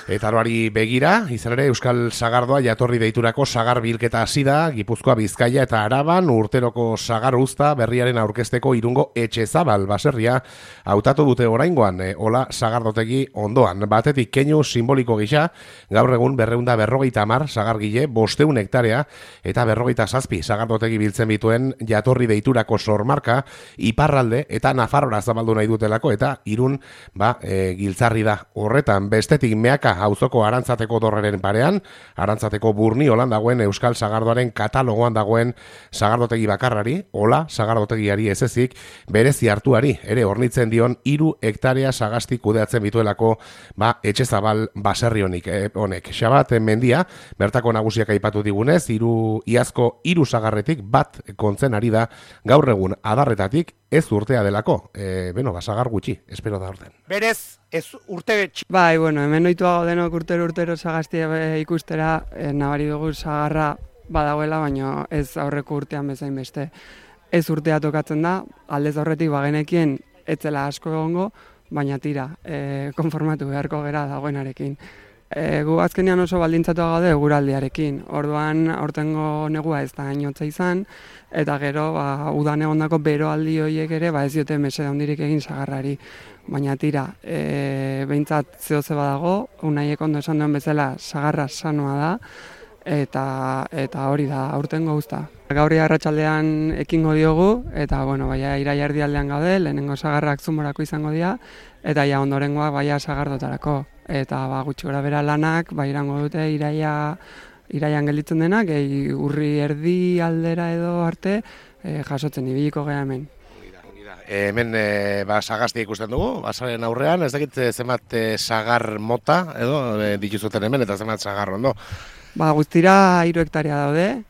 Eta aroari begira, izan ere Euskal Sagardoa jatorri deiturako sagar bilketa hasi da, Gipuzkoa, Bizkaia eta Araban urteroko sagar uzta berriaren aurkezteko Irungo Etxezabal baserria hautatu dute oraingoan, Ola sagardotegi ondoan. Batetik keinu simboliko gisa, gaur egun 250 sagargile, 500 hektarea eta 57 sagardotegi biltzen bituen jatorri deiturako sormarka iparralde eta Nafarrora zabaldu nahi dutelako eta Irun giltzarri da horretan. Bestetik Meaka auzoko Arantzateko dorreren parean, Arantzateko Burniolan dagoen Euskal Sagardoaren katalogoan dagoen sagardotegi bakarrari, Ola sagardotegiari ez ezik, berezi hartuari, ere hornitzen dion 3 hektarea sagasti kudeatzen bituelako Etxezabal baserri honek. Xabat Mendia, bertako nagusiak aipatu digunez, iazko 3 sagarretik bat kontzen ari da gaur egun adarretatik ez urtea delako. Sagar gutxi, espero da orden. Berez, ez urte Bai, hemen oituago denok urtero sagastia ikustera, nabari dugu sagarra badagoela, baina ez aurreko urtean bezain beste. Ez urtea tokatzen da, aldez aurretik bagenekien etzela asko egongo, baina tira, konformatu beharko gera dagoenarekin. Gu azkenean oso baldintzatua gaude eguraldiarekin. Orduan aurtengo negua ez da hainotza izan, eta gero udan egondako beroaldi horiek ere ez diote mesede handirik egin sagarrari. Baina tira, behintzat zehoze badago, Unaiek ondo esan duen bezala sagarra sanoa da, eta hori da aurtengo uzta. Gaurri arratsaldean ekingo diogu, eta iraila erdialdean gaude, lehenengo sagarrak Zumorako izango dira, eta ondorengoak sagardotarako. Eta gutxi gora bera lanak, irango dute iraian gelditzen denak, urri erdi aldera edo arte jasotzen ibiliko gea hemen. Hemen sagastia ikusten dugu, basaren aurrean, ez dakit zenbat sagar mota edo dituzuten hemen eta zenbat sagar ondo. Guztira 3 hektarea daude,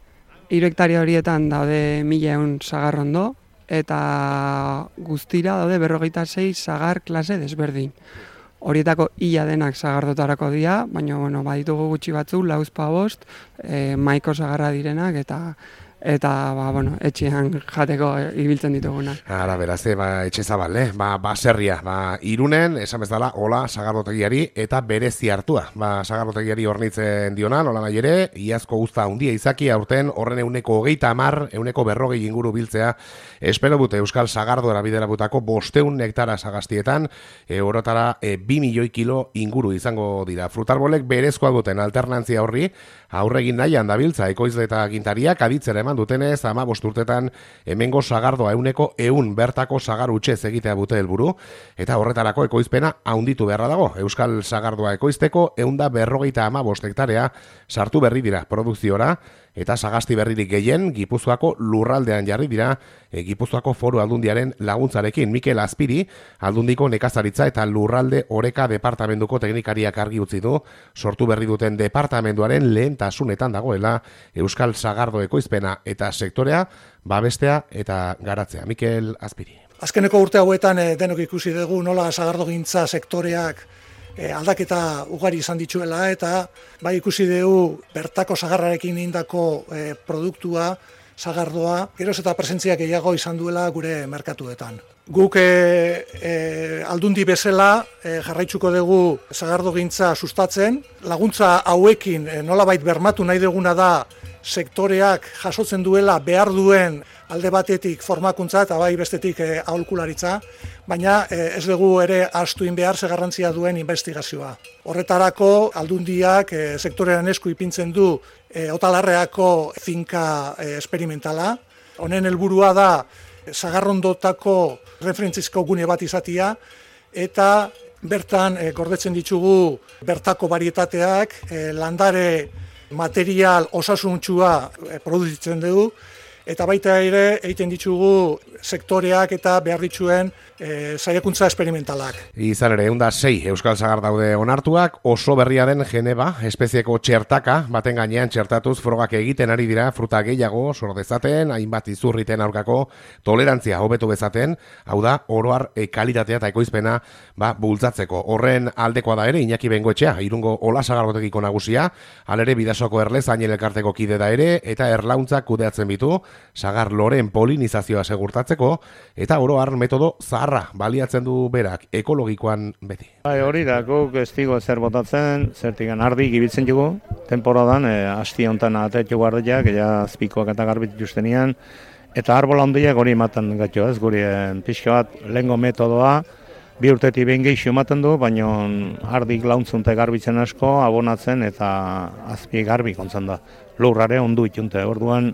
3 hektarea horietan daude 1100 sagar ondo, eta guztira daude 46 sagar klase desberdin. Horietako ia denak sagardotarako dira, baina baditugu gutxi batzu, 4-5, maiko sagarra direnak eta etxean jateko ibiltzen dituguna. Ara, beraz, Etxezabal, baserria, Irunen, esan bezala, Ola sagardotegiari eta berezi hartua. Sagardotegiari hornitzen diona, nola nahi ere, iazko uzta handia izaki, aurten horren 130, 140 inguru biltzea, espero dute Euskal Sagardoara biderabutako 500 hektara sagastietan, orotara 2 milioi kilo inguru izango dira. Frutarbolek berezkoa duten alternantzia horri, aurregin nahian dabiltza ekoizle eta gintariak aditzera eman dutenez 15 urtetan hemengo sagardoa 100 bertako sagar hutsez egitea dute helburu, eta horretarako ekoizpena handitu beharra dago. Euskal Sagardoa ekoizteko 155 hektarea sartu berri dira produkziora, eta sagasti berririk gehien Gipuzkoako lurraldean jarri dira Gipuzkoako Foru Aldundiaren laguntzarekin. Mikel Azpiri, Aldundiko nekazaritza eta lurralde oreka departamentuko teknikariak argi utzi du, sortu berri duten departamentuaren lehentasunetan dagoela Euskal Sagardo ekoizpena eta sektorea babestea eta garatzea. Mikel Azpiri. Azkeneko urte hauetan denok ikusi dugu nola sagardogintza sektoreak aldaketa ugari izan dituela, eta ikusi dugu bertako sagarrarekin indako produktua, sagardoa, geroz eta presentzia gehiago izan duela gure merkatuetan. Guk aldundi bezala jarraitzuko dugu sagardogintza sustatzen, laguntza hauekin nolabait bermatu nahi duguna da sektoreak jasotzen duela behar duen alde batetik formakuntza eta bestetik aholkularitza, baina ez dugu ere ahaztu behar ze garrantzia duen investigazioa. Horretarako aldundiak sektorean esku ipintzen du Otalarreako finka esperimentala. Honen helburua da sagarrondotako referentzizko gune bat izatea, eta bertan gordetzen ditugu bertako barietateak, landare material osasuntsua produzitzen dugu, eta baita ere egiten ditugu sektoreak eta behar dituen saiakuntza esperimentalak. Izan ere, 106 Euskal Sagar daude onartuak, oso berria den Geneva, espezieko txertaka, baten gainean txertatuz frogak egiten ari dira, fruta gehiago sor dezaten, hainbat izurriten aurkako tolerantzia hobetu bezaten, hau da, oroar kalitatea eta ekoizpena bultzatzeko. Horren aldekoa da ere, Iñaki Bengoetxea, Irungo Ola Sagardotegiko nagusia, halere Bidasoko Erlez Añel elkarteko kide da ere, eta erlauntzak kudeatzen bitu, sagar loren polinizazioa segurtatzen, tratatzeko, eta oro har metodo zaharra baliatzen du berak, ekologikoan beti. Hori da, guk ez digo zer botatzen, zertikan ardi gibitzen dugu, temporadan, hasti honetan atetu guardiak, ja azpikoak eta garbit justenian, eta arbola handiak hori ematen gatio, ez guri pixka bat lehengo metodoa, 2 urtetik behin gehiago ematen du, baina ardik launtzunte garbitzen asko, abonatzen eta azpi garbi kontzen da. Lurrare ondu itunte, orduan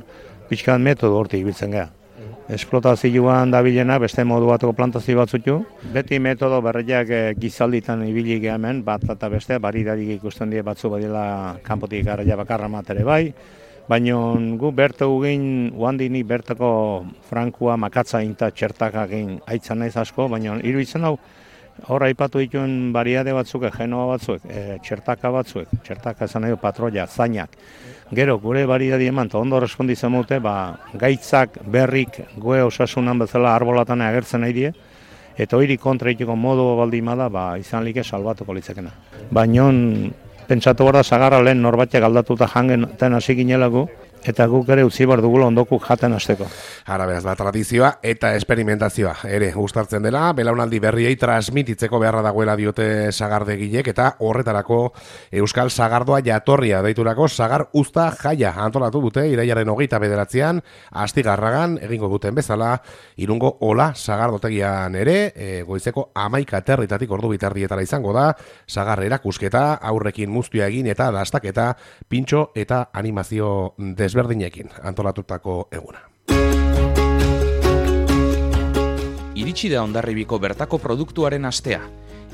pixka metodo hortik biltzen geha. Esplotazioan dabilena beste modu bateko plantazio batzutu. Beti metodo berriak gizalditan ibili hemen, bat eta beste, baridarik ikusten die batzu badila kanpotik garraia bakarra matere bai. Baina gu bertu egin, uandini bertako frankua makatza inta txertakak egin aitzan naiz asko, baina iruditzen hau, hor aipatu dituen bariade batzuk, genoa batzuek, txertaka batzuek, txertaka esan nahi patroia, zainak. Gero, gure bariadi eman, eta ondo responditzen dute, gaitzak, berrik, goe osasunan bezala arbolatan agertzen nahi die, eta hori kontra itiko modu baldimada, izan like salbatuko litzekena. Baina, pentsatu behar da sagarra lehen norbaitek aldatuta jangen hasi ginelago, eta guk ere utzi behar dugula ondokuk jaten hasteko. Ara beraz da tradizioa eta esperimentazioa ere uztartzen dela, belaunaldi berriei transmititzeko beharra dagoela diote sagardegilek, eta horretarako Euskal Sagardoa jatorria deiturako sagar uzta jaia antolatu dute irailaren 29an Astigarragan egingo duten bezala, Irungo Ola sagardotegian ere, goizeko 11 aterritatik ordu bitardietara izango da, sagar erakusketa, aurrekin muztia egin eta dastaketa, pintxo eta animazio desberdinekin antolatutako eguna. Iritsi da Hondarribiko bertako produktuaren astea.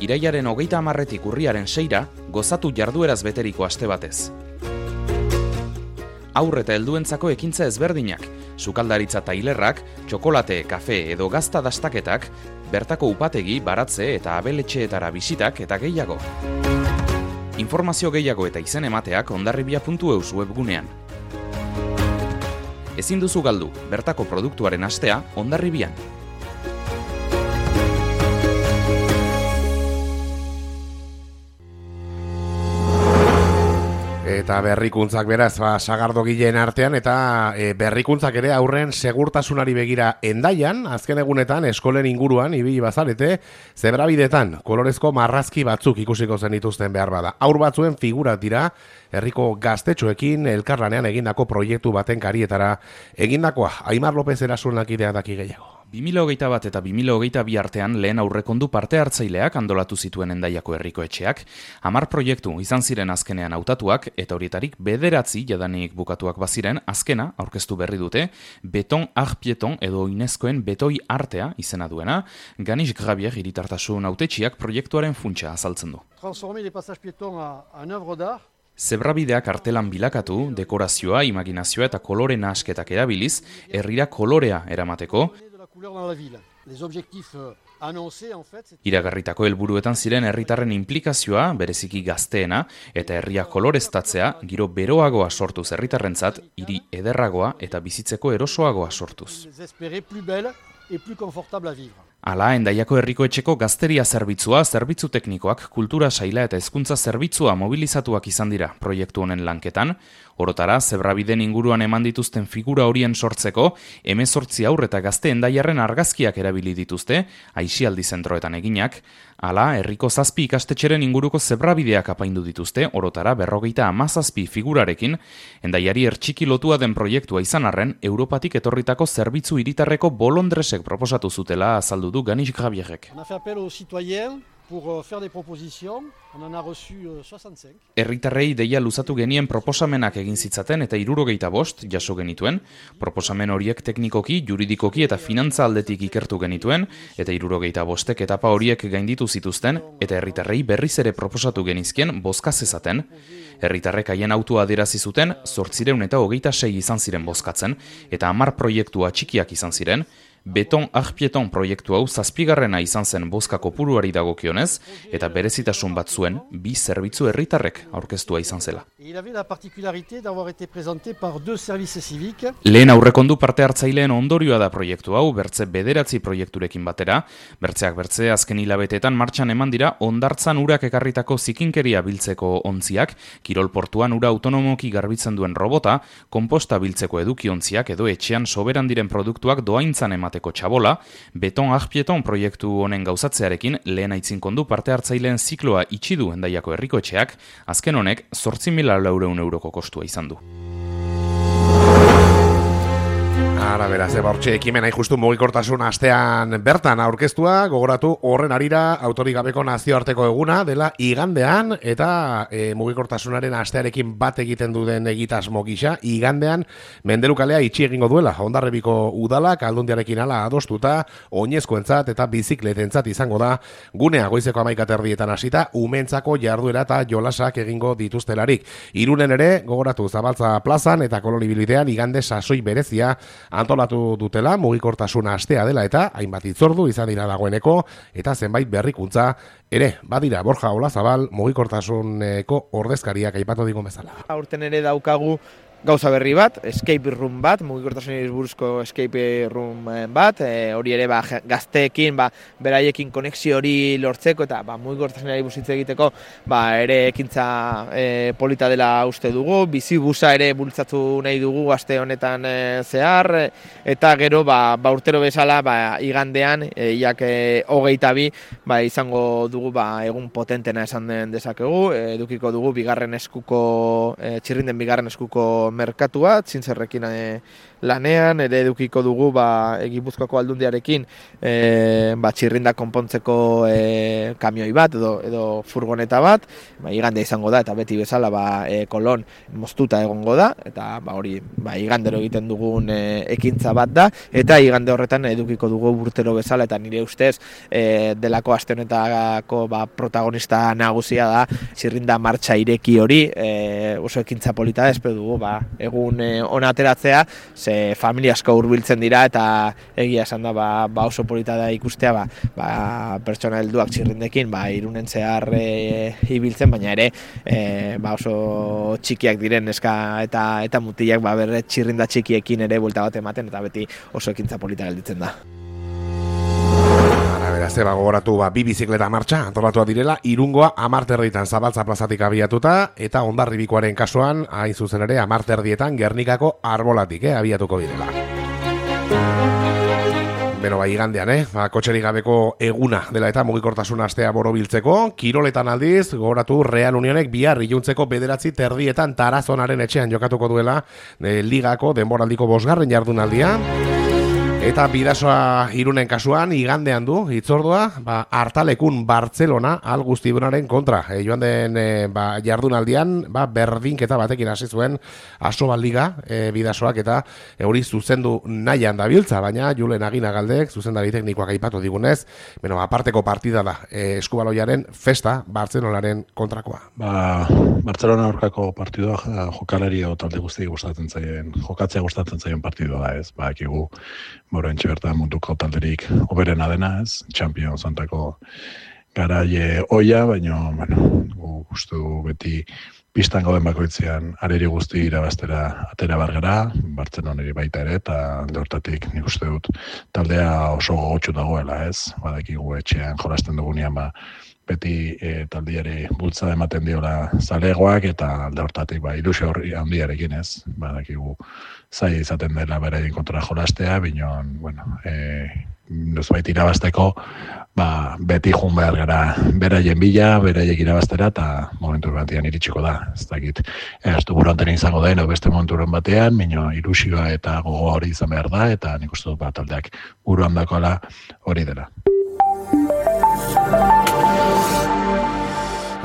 Irailaren 30etik urriaren 6ra, gozatu jardueraz beteriko aste batez. Aurre eta helduentzako ekintza ezberdinak, sukaldaritza tailerrak, txokolate, kafe edo gazta dastaketak, bertako upategi, baratze eta abeletxeetara bisitak eta gehiago. Informazio gehiago eta izen emateak hondarribia.eus webgunean. Ezin duzu galdu, bertako produktuaren astea Hondarribian. Eta berrikuntzak beraz, sagardogileen artean, eta berrikuntzak ere aurren segurtasunari begira Hendaian, azken egunetan eskolen inguruan ibili bazarete, zebrabidetan kolorezko marrazki batzuk ikusiko zen dituzten behar bada. Haur batzuen figurak dira, herriko gaztetxoekin elkarlanean egindako proiektu baten karietara egindakoa. Aimar López Erasunak idea daki gehiago. 2021 eta 2022 artean lehen aurrekondu parte hartzaileak antolatu zituen Hendaiako herriko etxeak, 10 proiektu izan ziren azkenean hautatuak eta horietarik 9 jadanik bukatuak baziren, azkena aurkeztu berri dute, Beton Arpieton edo Unescoen betoi artea izena duena, Ganis Gravier hiritartasun hautetsiak proiektuaren funtsa azaltzen du. Transformer les passages piétons en œuvre d'art. Zebrabideak artelan bilakatu, dekorazioa, imaginazioa eta kolore nahasketak erabiliz, herrira kolorea eramateko, iragarritako helburuetan ziren herritarren inplikazioa, bereziki gazteena, eta herria koloreztatzea, giro beroagoa sortuz herritarrentzat, hiri ederragoa eta bizitzeko erosoagoa sortuz. Hala, Hendaiako herriko etxeko gazteria zerbitzua, zerbitzu teknikoak, kultura saila eta hezkuntza zerbitzua mobilizatuak izan dira proiektu honen lanketan. Orotara, zebrabiden inguruan eman dituzten figura horien sortzeko, 18 haur eta gazte Hendaiarren argazkiak erabili dituzte, aisialdi zentroetan eginak. Hala, herriko 7 ikastetxeren inguruko zebrabideak apaindu dituzte, orotara 57 figurarekin, Hendaiari ertxiki lotua den proiektua izan arren, Europatik etorritako zerbitzu hiritarreko bolondresek proposatu zutela azaldu du Ganis Gravierrek. On a fait appel aux citoyens pour faire des propositions. On en a reçu 65. Herritarrei deia luzatu genien proposamenak egin zitzaten eta 75 jaso genituen. Proposamen horiek teknikoki, juridikoki eta finantza aldetik ikertu genituen, eta 75ek etapa horiek gainditu zituzten, eta herritarrei berriz ere proposatu genizkien bozka zezaten. Herritarrek haien autua adierazi zuten, 826 izan ziren bozkatzen, eta 10 proiektua txikiak izan ziren. Beton Arpieton proiektu hau 7garrena izan zen bozka kopuruari dagokionez, eta berezitasun bat zuen 2 zerbitzu herritarrek aurkeztua izan zela. Lehen aurrekondu parte hartzaileen ondorioa da proiektu hau, bertze 9 proiekturekin batera, bertzeak bertze azken hilabetetan martxan eman dira hondartzan urak ekarritako zikinkeria biltzeko ontziak, kirolportuan ura autonomoki garbitzen duen robota, konposta biltzeko edukiontziak edo etxean soberan diren produktuak doaintzan ematen eramateko txabola, beton arpieton proiektu honen gauzatzearekin lehen aitzinkondu parte hartzaileen zikloa itxi du Hendaiako herrikoetxeak, azken honek 8.400 euroko kostua izan du. Ara, beraz, bortxe ekimena justu mugikortasun astean bertan aurkeztua, gogoratu horren arira autorik gabeko nazioarteko eguna dela igandean, eta mugikortasunaren astearekin bat egiten duden egitasmo gisa, igandean Mendelu kalea itxi egingo duela, Hondarribiko udalak aldundiarekin ala adostuta, oinezkoentzat eta bizikletentzat izango da, gunea goizeko 11:00 hasita, umentzako jarduera eta jolasak egingo dituztelarik. Irunen ere, gogoratu Zabaltza plazan eta kolonibidean igande sasoi berezia antolatu dutela, mugikortasuna astea dela eta hainbat hitzordu izan dira dagoeneko eta zenbait berrikuntza ere badira. Borja Olazabal mugikortasuneko ordezkariak aipatu digun bezala. Aurten ere daukagu gauza berri bat, escape room bat, mugikortasunari buruzko escape room bat, hori ere gazteekin, beraiekin konexio hori lortzeko eta mugikortasunari buruz hitz egiteko ere ekintza polita dela uste dugu, bizibusa ere bultzatu nahi dugu aste honetan zehar, eta gero urtero bezala igandean, iak 22 izango dugu egun potentena esan den dezakegu, edukiko dugu bigarren eskuko, txirrinden bigarren eskuko merkatua, txintzerrekin lanean, ere edukiko dugu Gipuzkoako aldundiarekin txirrinda konpontzeko kamioi bat edo furgoneta bat, igande izango da eta beti bezala kolon moztuta egongo da, eta hori igandero egiten dugun ekintza bat da, eta igande horretan edukiko dugu urtero bezala, eta nire ustez delako aste honetako protagonista nagusia da txirrinda martxa ireki hori, oso ekintza polita da, espero dugu egun ona ateratzea, ze familia asko hurbiltzen dira eta egia esan da oso polita da ikustea pertsona helduak txirrindekin Irunen zehar ibiltzen, baina ere oso txikiak diren neska eta mutilak berre txirrinda txikiekin ere buelta bat ematen eta beti oso ekintza polita gelditzen da. Beraz, gogoratu bi bizikleta martxa antolatua direla, Irungoa 10:30 Zabaltza plazatik abiatuta, eta Hondarribikoaren kasuan, hain zuzen ere 10:30 Gernikako arbolatik abiatuko direla. Beno, igandean, kotxerik gabeko eguna dela eta mugikortasun astea borobiltzeko, kiroletan aldiz, gogoratu Real Unionek bihar iluntzeko 9:30 Tarazonaren etxean jokatuko duela ligako denboraldiko 5. jardunaldia. Eta Bidasoa Irunen kasuan igandean du hitzordua Artalekun Bartzelona Algustibunaren kontra. Joan den jardunaldian berdinketa batekin hasi zuen Asobal Liga Bidasoak eta hori zuzendu nahian dabiltza, baina Julen Aginagaldek zuzendari teknikoak aipatu digunez, aparteko partida da Eskubaloiaren festa Bartzelonaren kontrakoa. Bartzelona aurkako partidua jokalari talde guzti gustatzen zaien, jokatzea gustatzen zaien partidua da, ez? Bakigu Morentxe bertan munduko talderik oberena dena, ez? Champions Santako garaie oia, baina, gustu beti pistan gauden bakoitzean areri guzti irabaztera atera bargara, Bartzelonari baita ere, eta hortatik nik uste dut taldea oso gogotxu dagoela, ez? Badakigu etxean jolasten dugunean, beti taldiari bultza ematen diola zalegoak, eta alde hortatik ilusio handiarekin, ez? Badakigu zai izaten dela beraien kontra jolastea, baina, nozbait irabazteko, beti jun behar gara beraien bila, beraiek irabaztera, eta momentu batean iritsiko da. Ez dakit, ez du buruanten izango da, beste momentu batean, baina ilusioa eta gogoa hori izan behar da, eta nik uste dut taldeak buruan dakoala hori dela.